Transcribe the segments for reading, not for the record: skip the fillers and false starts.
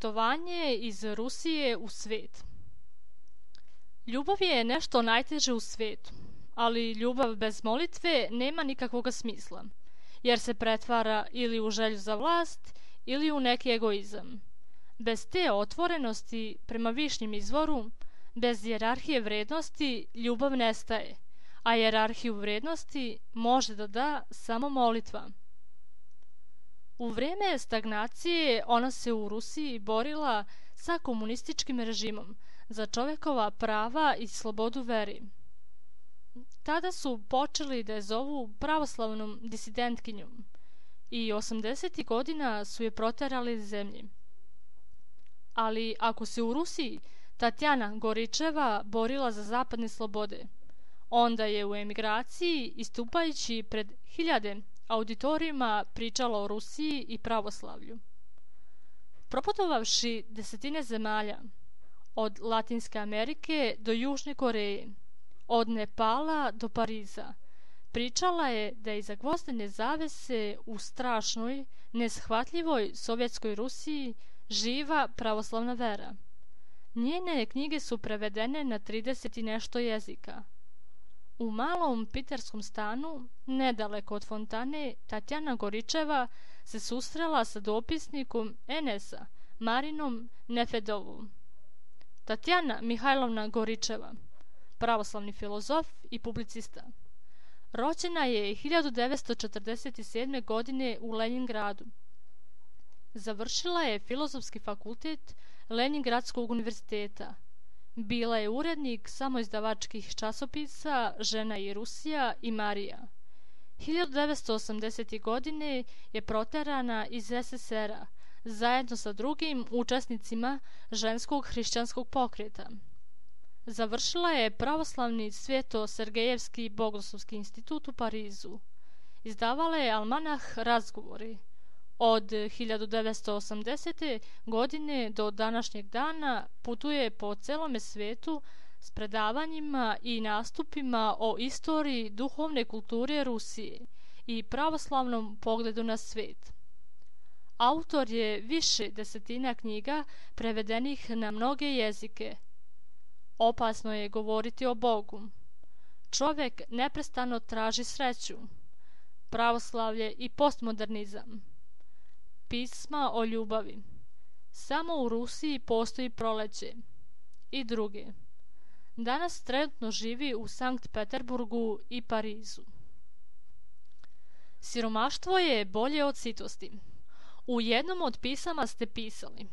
Putovanje iz Rusije u svet. Ljubav je nešto najteže u svetu, ali ljubav bez molitve nema nikakvog smisla, jer se pretvara ili u želju za vlast ili u neki egoizam. Bez te otvorenosti prema višnjem izvoru, bez hijerarhije vrednosti, ljubav nestaje, a hijerarhiju vrednosti može da da samo molitva. U vreme stagnacije ona se u Rusiji borila sa komunističkim režimom za čovekova prava i slobodu veri. Tada su počeli da je zovu pravoslavnom disidentkinjom i 80. godina su je proterali iz zemlje. Ali ako se u Rusiji Tatjana Goričeva borila za zapadne slobode, onda je u emigraciji, istupajući pred hiljade auditorijima, pričala o Rusiji i pravoslavlju. Proputovavši desetine zemalja, od Latinske Amerike do Južne Koreje, od Nepala do Pariza, pričala je da iza gvozdene zavese u strašnoj, neshvatljivoj sovjetskoj Rusiji živa pravoslavna vera. Njene knjige su prevedene na 30 i nešto jezika. U malom piterskom stanu, nedaleko od fontane, Tatjana Goričeva se susrela sa dopisnikom NS-a, Marinom Nefedovom. Tatjana Mihajlovna Goričeva, pravoslavni filozof i publicista. Rođena je 1947. godine u Lenjingradu. Završila je Filozofski fakultet Lenjingradskog univerziteta. Bila je urednik samoizdavačkih časopisa Žena i Rusija i Marija. 1980. godine je proterana iz SSR-a zajedno sa drugim učesnicima ženskog hrišćanskog pokreta. Završila je pravoslavni Sveto-Sergejevski bogoslovski institut u Parizu. Izdavala je almanah Razgovori. Od 1980. godine do današnjeg dana putuje po celome svetu s predavanjima i nastupima o istoriji duhovne kulture Rusije i pravoslavnom pogledu na svet. Autor je više desetina knjiga prevedenih na mnoge jezike. Opasno je govoriti o Bogu. Čovjek neprestano traži sreću. Pravoslavlje i postmodernizam. Pisma o ljubavi. Samo u Rusiji postoji proleće. I druge. Danas trenutno živi u Sankt Peterburgu i Parizu. Siromaštvo je bolje od sitosti. U jednom od pisama ste pisali: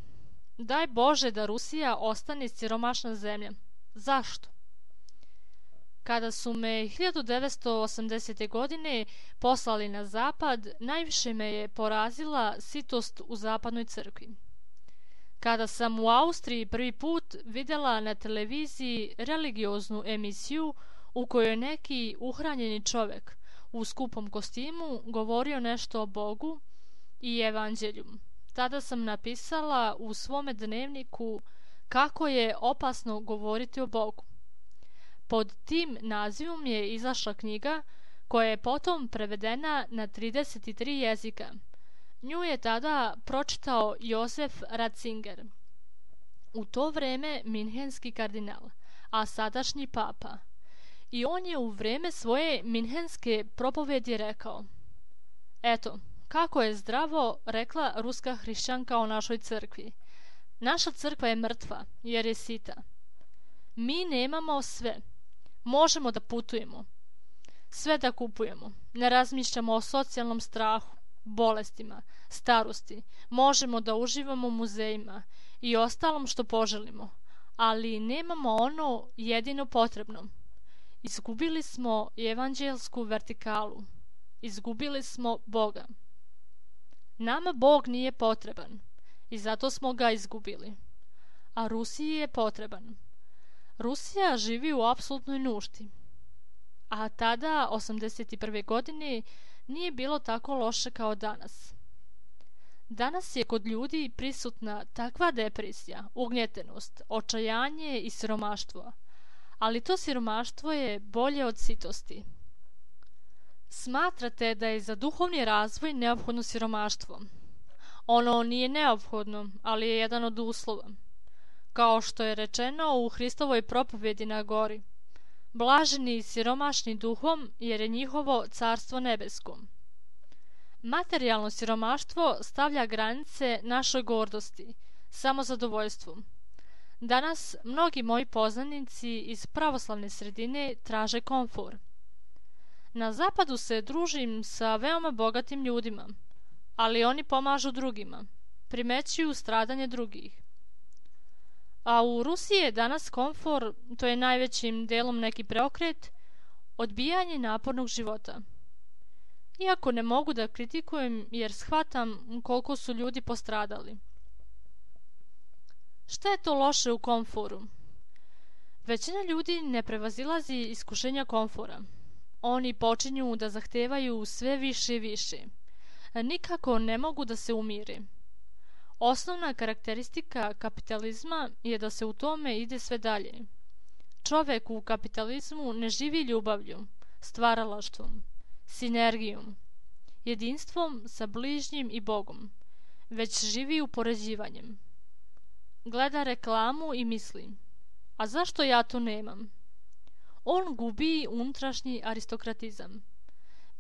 Daj Bože da Rusija ostane siromašna zemlja. Zašto? Kada su me 1980. godine poslali na zapad, najviše me je porazila sitost u zapadnoj crkvi. Kada sam u Austriji prvi put vidjela na televiziji religioznu emisiju u kojoj neki uhranjeni čovjek u skupom kostimu govorio nešto o Bogu i evanđelju, tada sam napisala u svome dnevniku kako je opasno govoriti o Bogu. Pod tim nazivom je izašla knjiga koja je potom prevedena na 33 jezika. Nju je tada pročitao Josef Ratzinger, u to vreme minhenski kardinal, a sadašnji papa. I on je u vreme svoje minhenske propovedi rekao: Eto, kako je zdravo rekla ruska hrišćanka o našoj crkvi. Naša crkva je mrtva jer je sita. Mi nemamo sve. Možemo da putujemo, sve da kupujemo, ne razmišljamo o socijalnom strahu, bolestima, starosti, možemo da uživamo u muzejima i ostalom što poželimo, ali nemamo ono jedino potrebno. Izgubili smo evanđelsku vertikalu, izgubili smo Boga. Nama Bog nije potreban i zato smo ga izgubili, a Rusiji je potreban. Rusija živi u apsolutnoj nuždi, a tada, 81. godine, nije bilo tako loše kao danas. Danas je kod ljudi prisutna takva depresija, ugnjetenost, očajanje i siromaštvo, ali to siromaštvo je bolje od sitosti. Smatrate da je za duhovni razvoj neophodno siromaštvo. Ono nije neophodno, ali je jedan od uslova. Kao što je rečeno u Hristovoj propovjedi na gori: Blaženi i siromašni duhom, jer je njihovo carstvo nebesko. Materijalno siromaštvo stavlja granice našoj gordosti, samozadovoljstvu. Danas mnogi moji poznanici iz pravoslavne sredine traže komfor. Na zapadu se družim sa veoma bogatim ljudima, ali oni pomažu drugima, primećuju stradanje drugih. A u Rusiji je danas komfor, to je najvećim delom neki preokret, odbijanje napornog života. Iako ne mogu da kritikujem jer shvatam koliko su ljudi postradali. Šta je to loše u komforu? Većina ljudi ne prevazilazi iskušenja komfora. Oni počinju da zahtevaju sve više i više. Nikako ne mogu da se umire. Osnovna karakteristika kapitalizma je da se u tome ide sve dalje. Čovek u kapitalizmu ne živi ljubavlju, stvaralaštvom, sinergijom, jedinstvom sa bližnjim i Bogom, već živi upoređivanjem. Gleda reklamu i misli: a zašto ja to nemam? On gubi unutrašnji aristokratizam.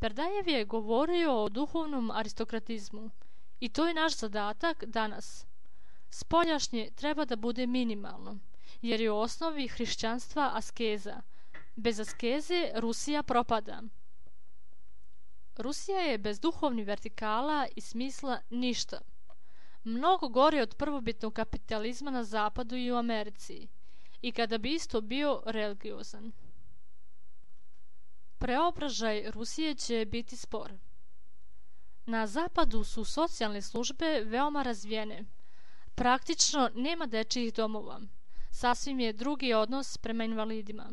Berdajev je govorio o duhovnom aristokratizmu i to je naš zadatak danas. Spoljašnje treba da bude minimalno, jer je u osnovi hrišćanstva askeza, Bez askeze Rusija propada. Rusija je bez duhovnih vertikala i smisla ništa. Mnogo gore od prvobitnog kapitalizma na zapadu i u Americi, i kada bi isto bio religiozan. Preobražaj Rusije će biti spor. Na zapadu su socijalne službe veoma razvijene. Praktično nema dečijih domova. Sasvim je drugi odnos prema invalidima.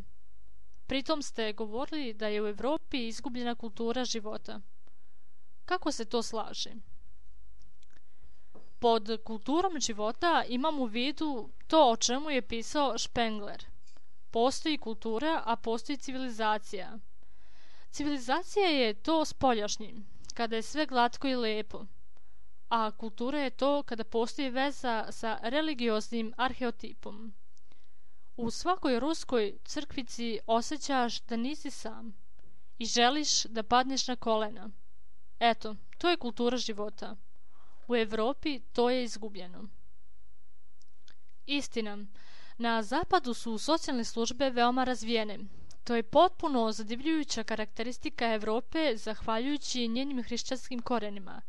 Pritom ste govorili da je u Evropi izgubljena kultura života. Kako se to slaže? Pod kulturom života imam u vidu to o čemu je pisao Spengler. Postoji kultura, a postoji civilizacija. Civilizacija je to spoljašnji, kada je sve glatko i lepo, a kultura je to kada postoji veza sa religioznim arheotipom. U svakoj ruskoj crkvici osjećaš da nisi sam i želiš da padneš na kolena. Eto, to je kultura života. U Evropi to je izgubljeno. Istina, na zapadu su socijalne službe veoma razvijene. To je potpuno zadivljujuća karakteristika Evrope zahvaljujući njenim hrišćanskim korenima.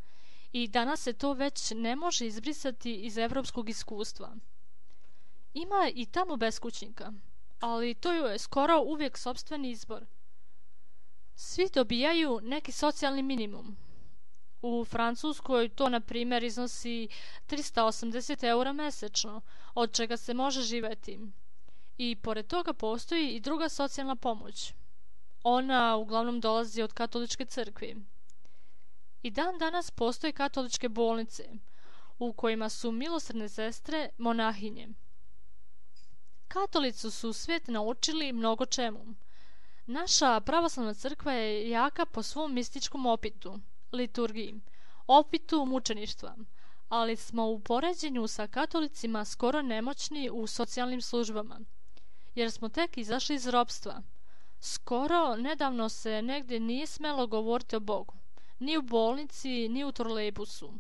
I danas se to već ne može izbrisati iz evropskog iskustva. Ima i tamo beskućnika, ali to je skoro uvijek sopstveni izbor. Svi dobijaju neki socijalni minimum. U Francuskoj to, na primjer, iznosi 380 € mesečno, od čega se može živjeti. I pored toga postoji i druga socijalna pomoć. Ona uglavnom dolazi od katoličke crkve. I dan danas postoje katoličke bolnice, u kojima su milosrdne sestre monahinje. Katolici su svijet naučili mnogo čemu. Naša pravoslavna crkva je jaka po svom mističkom opitu, liturgiji, opitu mučeništva, ali smo u poređenju sa katolicima skoro nemoćni u socijalnim službama, jer smo tek izašli iz ropstva. Skoro nedavno se negdje nije smelo govoriti o Bogu, ni u bolnici, ni u trolejbusu.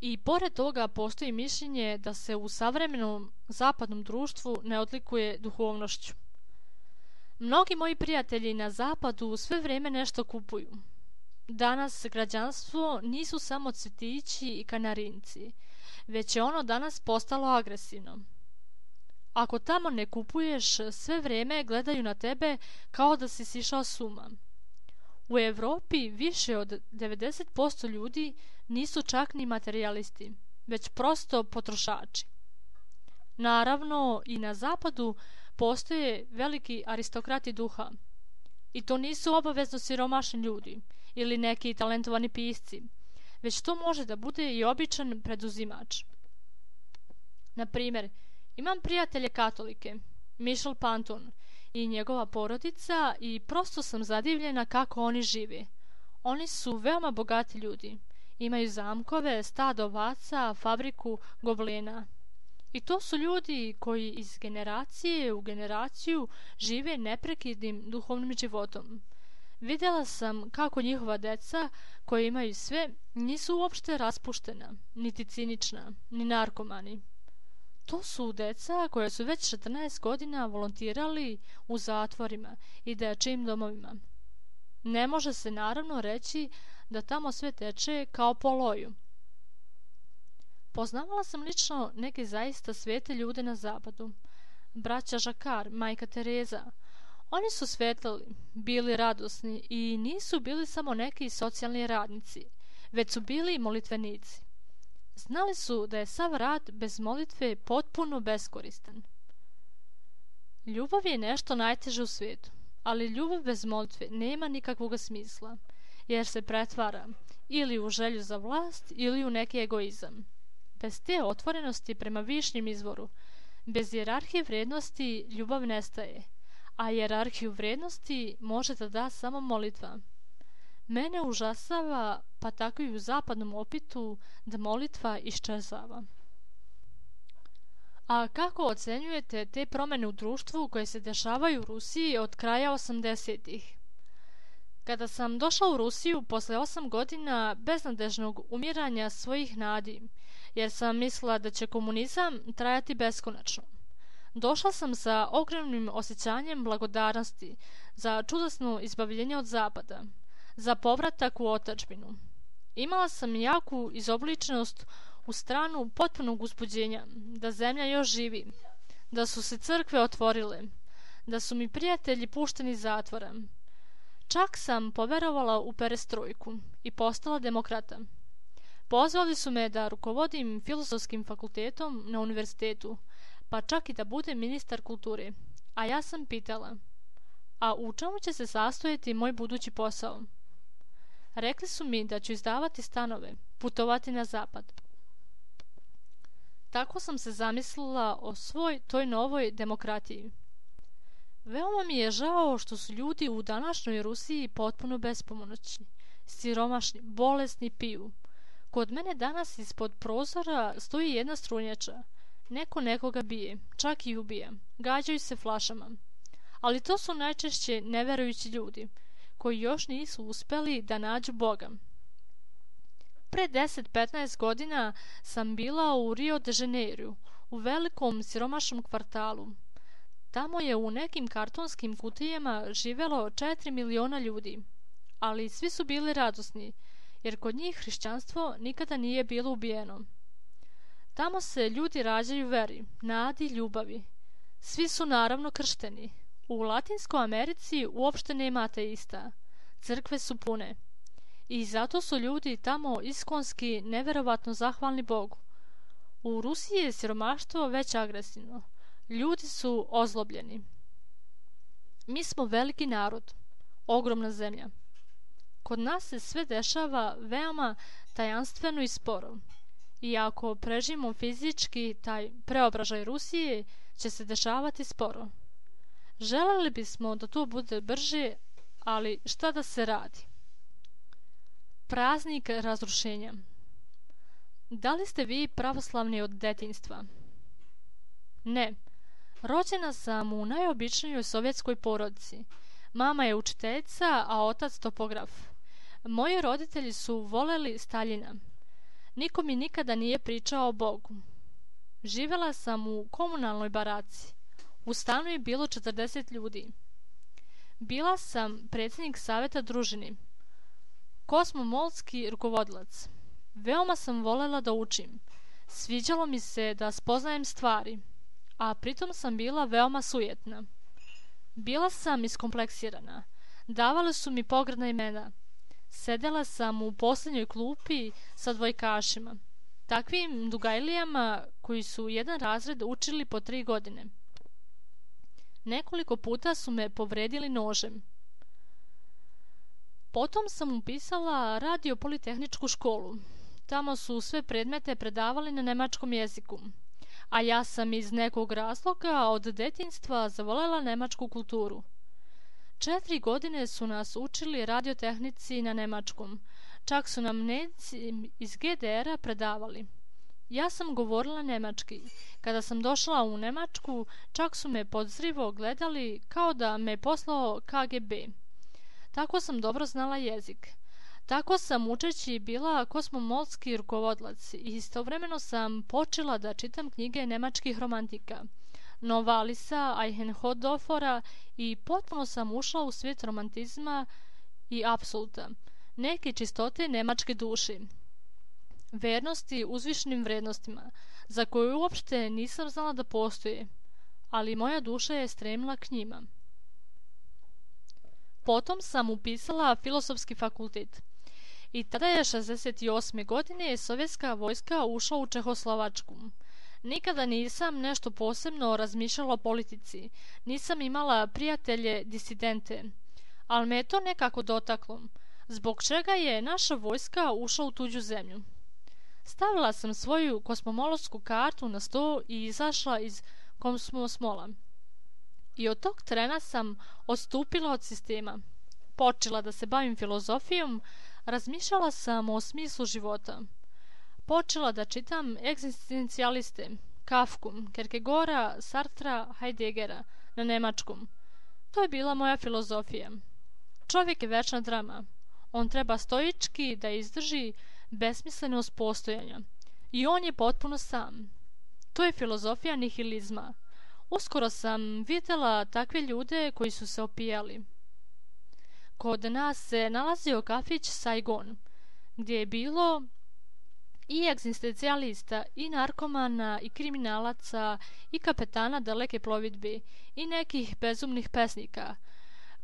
I pored toga postoji mišljenje da se u savremenom zapadnom društvu ne odlikuje duhovnošću. Mnogi moji prijatelji na zapadu sve vrijeme nešto kupuju. Danas građanstvo nisu samo cvjetići i kanarinci, već je ono danas postalo agresivno. Ako tamo ne kupuješ, sve vrijeme gledaju na tebe kao da si sišao s uma. U Evropi više od 90% ljudi nisu čak ni materijalisti, već prosto potrošači. Naravno, i na zapadu postoje veliki aristokrati duha. I to nisu obavezno siromašni ljudi ili neki talentovani pisci, već to može da bude i običan preduzimač. Na primjer, imam prijatelje katolike, Michel Panton i njegova porodica, i prosto sam zadivljena kako oni žive. Oni su veoma bogati ljudi. Imaju zamkove, stado ovaca, fabriku gobelena. I to su ljudi koji iz generacije u generaciju žive neprekidnim duhovnim životom. Vidjela sam kako njihova deca, koji imaju sve, nisu uopšte raspuštena, niti cinična, ni narkomani. To su deca koja su već 14 godina volontirali u zatvorima i dečijim domovima. Ne može se naravno reći da tamo sve teče kao po loju. Poznavala sam lično neke zaista svete ljude na zapadu. Braća Žakar, majka Tereza. Oni su svetlali, bili radosni i nisu bili samo neki socijalni radnici, već su bili molitvenici. Znali su da je sav rad bez molitve potpuno beskoristan. Ljubav je nešto najteže u svijetu, ali ljubav bez molitve nema nikakvog smisla, jer se pretvara ili u želju za vlast ili u neki egoizam. Bez te otvorenosti prema višnjem izvoru, bez hijerarhije vrijednosti, ljubav nestaje, a hijerarhiju vrijednosti može da da samo molitva. Mene užasava, pa tako i u zapadnom opitu, da molitva iščezava. A kako ocenjujete te promjene u društvu koje se dešavaju u Rusiji od kraja 80-ih? Kada sam došla u Rusiju posle 8 godina beznadežnog umiranja svojih nadi, jer sam mislila da će komunizam trajati beskonačno, Došla sam sa ogromnim osjećanjem blagodarnosti za čudesno izbavljenje od zapada, za povratak u otadžbinu. Imala sam jaku izobličenost u stranu potpunog uzbuđenja, da zemlja još živi, da su se crkve otvorile, da su mi prijatelji pušteni iz zatvora. Čak sam poverovala u perestrojku i postala demokrata. Pozvali su me da rukovodim filozofskim fakultetom na univerzitetu, pa čak i da budem ministar kulture. A ja sam pitala, a u čemu će se sastojati moj budući posao? Rekli su mi da ću izdavati stanove, putovati na zapad. Tako sam se zamislila o svoj toj novoj demokratiji. Veoma mi je žao što su ljudi u današnjoj Rusiji potpuno bespomoćni, siromašni, bolesni, piju. Kod mene danas ispod prozora stoji jedna strunjača. Neko nekoga bije, čak i ubija. Gađaju se flašama. Ali to su najčešće neverujući ljudi, koji još nisu uspeli da nađu Boga. Pre 10-15 godina sam bila u Rio de Janeiru, u velikom siromašnom kvartalu. Tamo je u nekim kartonskim kutijama živelo 4 miliona ljudi, ali svi su bili radosni, jer kod njih hrišćanstvo nikada nije bilo ubijeno. Tamo se ljudi rađaju veri, nadi, ljubavi. Svi su naravno kršteni. U Latinskoj Americi uopšte nema ateista. Crkve su pune. I zato su ljudi tamo iskonski neverovatno zahvalni Bogu. U Rusiji je siromaštvo već agresivno. Ljudi su ozlobljeni. Mi smo veliki narod, ogromna zemlja. Kod nas se sve dešava veoma tajanstveno i sporo. I ako preživimo fizički taj preobražaj Rusije, će se dešavati sporo. Želeli bismo da to bude brže, ali šta da se radi? Praznik razrušenja. Da li ste vi pravoslavni od detinjstva? Ne. Rođena sam u najobičnijoj sovjetskoj porodici. Mama je učiteljica, a otac topograf. Moji roditelji su voleli Staljina. Niko mi nikada nije pričao o Bogu. Živela sam u komunalnoj baraci. U stanu je bilo 40 ljudi. Bila sam predsjednik saveta družini. Kosmomolski rukovodilac. Veoma sam volela da učim. Sviđalo mi se da spoznajem stvari, a pritom sam bila veoma sujetna. Bila sam iskompleksirana. Davali su mi pogrdna imena. Sedela sam u posljednjoj klupi sa dvojkašima, takvim dugajlijama koji su jedan razred učili po 3 godine. Nekoliko puta su me povredili nožem. Potom sam upisala radio-politehničku školu. Tamo su sve predmete predavali na nemačkom jeziku, a ja sam iz nekog razloga od detinjstva zavolela nemačku kulturu. 4 godine su nas učili radiotehnici na nemačkom. Čak su nam Nemci iz GDR-a predavali. Ja sam govorila nemački. Kada sam došla u Nemačku, čak su me podozrivo gledali kao da me poslao KGB. Tako sam dobro znala jezik. Tako sam učeći bila kosmomolski rukovodilac i istovremeno sam počela da čitam knjige nemačkih romantika, Novalisa, Eichenhodofera, i potpuno sam ušla u svijet romantizma i apsoluta, neke čistote nemačke duše, vernosti uzvišenim vrednostima, za koje uopšte nisam znala da postoje, ali moja duša je stremila k njima. Potom sam upisala filozofski fakultet. I tada je 68. godine sovjetska vojska ušla u Čehoslovačku. Nikada nisam nešto posebno razmišljala o politici. Nisam imala prijatelje disidente. Ali me je to nekako dotaklo. Zbog čega je naša vojska ušla u tuđu zemlju? Stavila sam svoju kosmomolsku kartu na sto i izašla iz Kosmosmola. I od tog trena sam odstupila od sistema. Počela da se bavim filozofijom, razmišljala sam o smislu života. Počela da čitam egzistencijaliste, Kafku, Kierkegaarda, Sartra, Heideggera na nemačkom. To je bila moja filozofija. Čovjek je večna drama. On treba stoički da izdrži besmislenost postojanja. I on je potpuno sam. To je filozofija nihilizma. Uskoro sam vidjela takve ljude koji su se opijali. Kod nas se nalazio kafić Saigon, gdje je bilo i egzistencijalista, i narkomana, i kriminalaca, i kapetana daleke plovidbe, i nekih bezumnih pesnika.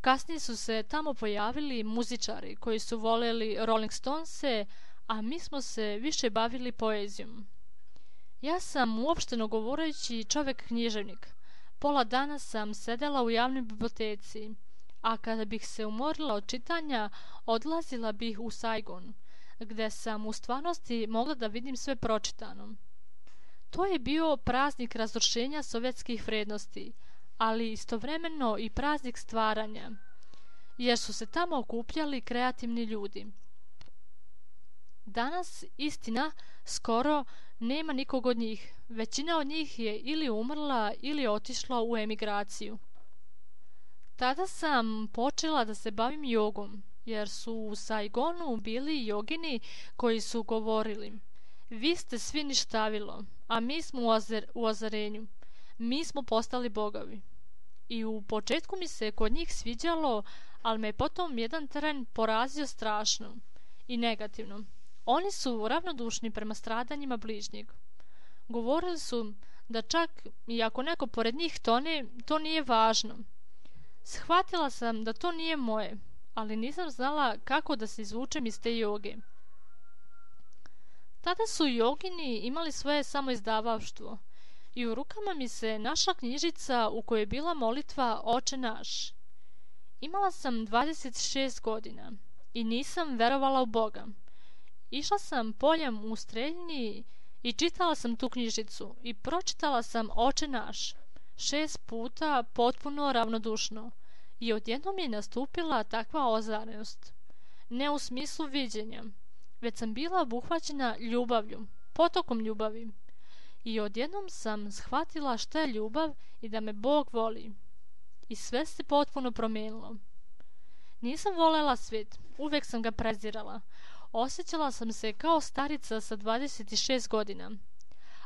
Kasnije su se tamo pojavili muzičari koji su voljeli Rolling Stonese, a mi smo se više bavili poezijom. Ja sam uopšteno govoreći čovjek-književnik. Pola dana sam sedela u javnoj biblioteci, a kada bih se umorila od čitanja, odlazila bih u Saigon, gdje sam u stvarnosti mogla da vidim sve pročitano. To je bio praznik razrušenja sovjetskih vrednosti, ali istovremeno i praznik stvaranja, jer su se tamo okupljali kreativni ljudi. Danas, istina, skoro nema nikog od njih. Većina od njih je ili umrla ili otišla u emigraciju. Tada sam počela da se bavim jogom, jer su u Saigonu bili jogini koji su govorili: vi ste svi ništavilo, a mi smo u ozarenju. Mi smo postali bogovi. I u početku mi se kod njih sviđalo, ali me potom jedan teren porazio strašno i negativno. Oni su ravnodušni prema stradanjima bližnjeg. Govorili su da čak i ako neko pored njih tone, to nije važno. Shvatila sam da to nije moje, ali nisam znala kako da se izvučem iz te joge. Tada su jogini imali svoje samoizdavaštvo i u rukama mi se našla knjižica u kojoj je bila molitva Oče naš. Imala sam 26 godina i nisam verovala u Boga. Išla sam poljem u Streljini i čitala sam tu knjižicu i pročitala sam Oče naš 6 puta potpuno ravnodušno i odjednom je nastupila takva ozarenost. Ne u smislu viđenja, već sam bila obuhvaćena ljubavlju, potokom ljubavi. I odjednom sam shvatila šta je ljubav i da me Bog voli. I sve se potpuno promijenilo. Nisam volela svijet, uvijek sam ga prezirala. Osjećala sam se kao starica sa 26 godina,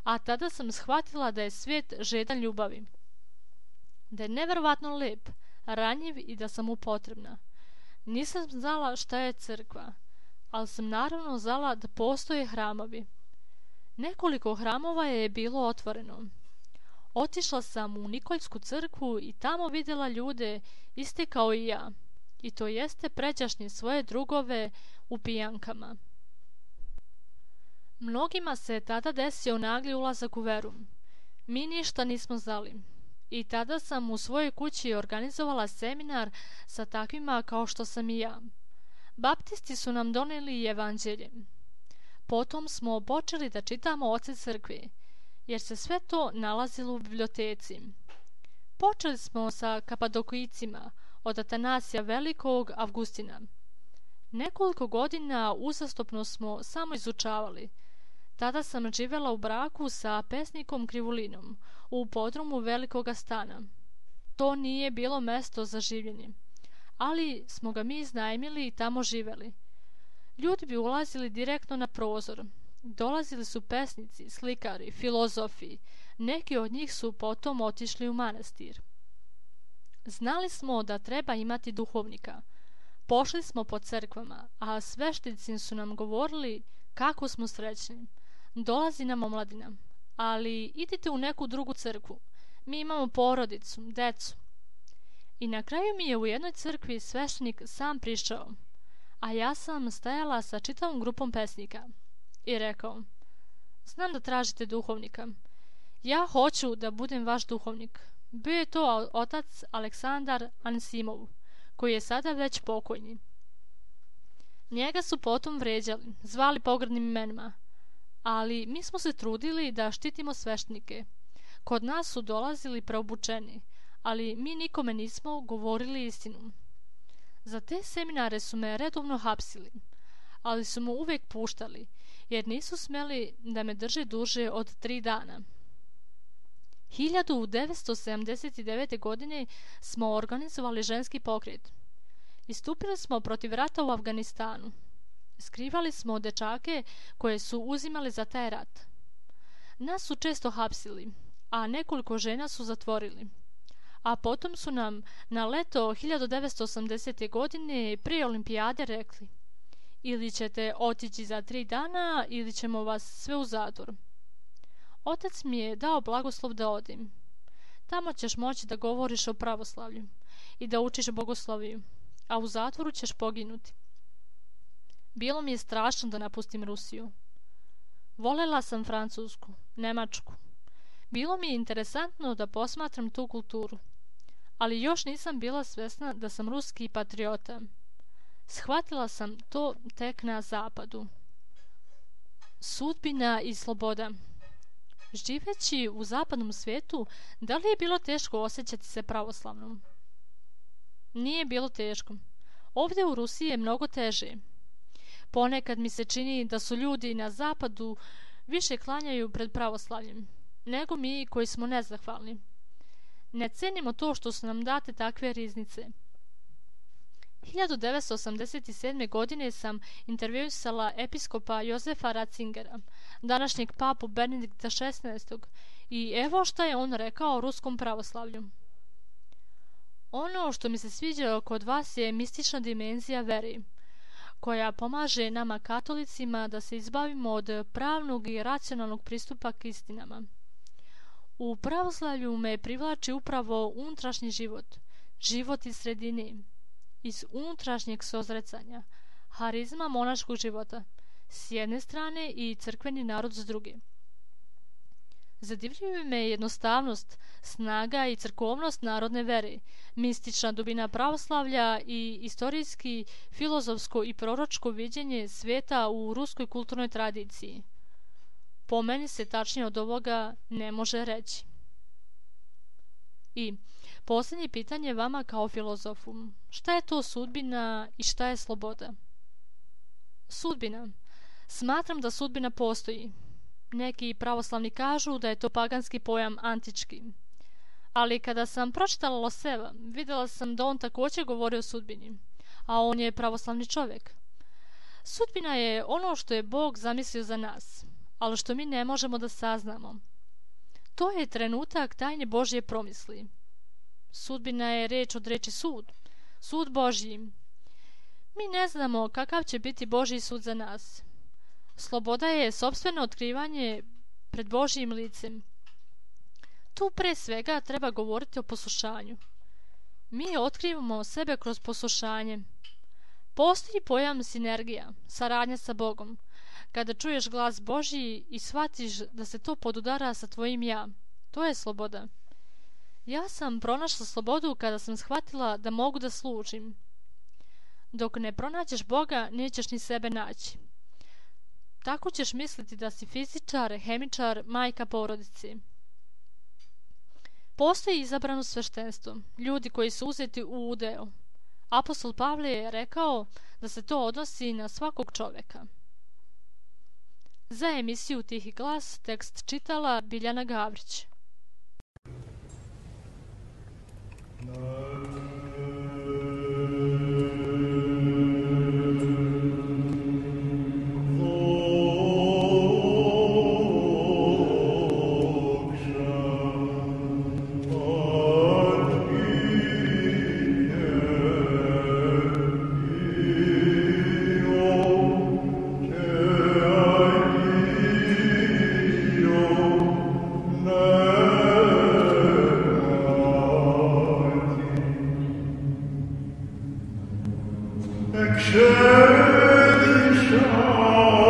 a tada sam shvatila da je svijet žedan ljubavi. Da je neverovatno lep, ranjiv i da sam mu potrebna. Nisam znala šta je crkva, ali sam naravno znala da postoje hramovi. Nekoliko hramova je bilo otvoreno. Otišla sam u Nikoljsku crkvu i tamo vidjela ljude iste kao i ja, i to jeste pređašnje svoje drugove u pijankama. Mnogima se tada desio nagli ulazak u veru. Mi ništa nismo znali. I tada sam u svojoj kući organizovala seminar sa takvima kao što sam i ja. Baptisti su nam doneli evanđelje. Potom smo počeli da čitamo oce crkve, jer se sve to nalazilo u biblioteci. Počeli smo sa Kapadokijcima, od Atanasija Velikog, Avgustina. Nekoliko godina uzastopno smo samo izučavali. Tada sam živjela u braku sa pesnikom Krivulinom u podrumu velikoga stana. To nije bilo mesto za življenje, ali smo ga mi iznajmili i tamo živjeli. Ljudi bi ulazili direktno na prozor. Dolazili su pesnici, slikari, filozofi. Neki od njih su potom otišli u manastir. Znali smo da treba imati duhovnika. Pošli smo po crkvama, a sveštenici su nam govorili kako smo srećni. Dolazi nam omladina, ali idite u neku drugu crkvu. Mi imamo porodicu, decu. I na kraju mi je u jednoj crkvi sveštenik sam prišao, a ja sam stajala sa čitavom grupom pesnika i rekao: znam da tražite duhovnika. Ja hoću da budem vaš duhovnik. Bio je to otac Aleksandar Ansimov, koji je sada već pokojni. Njega su potom vređali, zvali pogrdnim imenima, ali mi smo se trudili da štitimo sveštenike. Kod nas su dolazili preobučeni, ali mi nikome nismo govorili istinu. Za te seminare su me redovno hapsili, ali su mu uvijek puštali, jer nisu smeli da me drže duže od 3 dana. 1979. godine smo organizovali ženski pokret. Istupili smo protiv rata u Afganistanu. Skrivali smo dečake koje su uzimali za taj rat. Nas su često hapsili, a nekoliko žena su zatvorili. A potom su nam na leto 1980. godine prije olimpijade rekli: ili ćete otići za 3 dana ili ćemo vas sve u zatvor. Otac mi je dao blagoslov da odim. Tamo ćeš moći da govoriš o pravoslavlju i da učiš bogosloviju, a u zatvoru ćeš poginuti. Bilo mi je strašno da napustim Rusiju. Volela sam Francusku, Nemačku. Bilo mi je interesantno da posmatram tu kulturu, ali još nisam bila svesna da sam ruski patriota. Shvatila sam to tek na zapadu. Sudbina i sloboda. Živeći u zapadnom svijetu, da li je bilo teško osjećati se pravoslavnom? Nije bilo teško. Ovdje u Rusiji je mnogo teže. Ponekad mi se čini da su ljudi na zapadu više klanjaju pred pravoslavljem nego mi koji smo nezahvalni. Ne cenimo to što su nam date takve riznice. 1987. godine sam intervjuisala episkopa Jozefa Ratzingera, današnjeg papu Benedikta XVI. I evo šta je on rekao o ruskom pravoslavlju. Ono što mi se sviđa kod vas je mistična dimenzija veri, koja pomaže nama katolicima da se izbavimo od pravnog i racionalnog pristupa k istinama. U pravoslavlju me privlači upravo unutrašnji život, život iz sredine, iz unutrašnjeg sozrecanja, harizma monaškog života s jedne strane i crkveni narod s druge. Zadivljuje me jednostavnost, snaga i crkovnost narodne vere, mistična dubina pravoslavlja i istorijski, filozofsko i proročko viđenje svijeta u ruskoj kulturnoj tradiciji. Po meni se tačnije od ovoga ne može reći. I posljednje pitanje vama kao filozofu. Šta je to sudbina i šta je sloboda? Sudbina. Smatram da sudbina postoji. Neki pravoslavni kažu da je to paganski pojam antički. Ali kada sam pročitala Loseva, vidjela sam da on također govori o sudbini, a on je pravoslavni čovjek. Sudbina je ono što je Bog zamislio za nas, ali što mi ne možemo da saznamo. To je trenutak tajne Božje promisli. Sudbina je reč od reči sud, sud Božji. Mi ne znamo kakav će biti Božji sud za nas. Sloboda je sopstveno otkrivanje pred Božjim licem. Tu pre svega treba govoriti o poslušanju. Mi otkrivamo sebe kroz poslušanje. Postoji pojam sinergija, saradnja sa Bogom. Kada čuješ glas Božji i shvatiš da se to podudara sa tvojim ja, to je sloboda. Ja sam pronašla slobodu kada sam shvatila da mogu da služim. Dok ne pronađeš Boga, nećeš ni sebe naći. Tako ćeš misliti da si fizičar, hemičar, majka porodici. Postoji izabrano sveštenstvo, ljudi koji su uzeti u udeo. Apostol Pavle je rekao da se to odnosi na svakog čoveka. Za emisiju Tihi glas tekst čitala Biljana Gavrić. Schön, schön.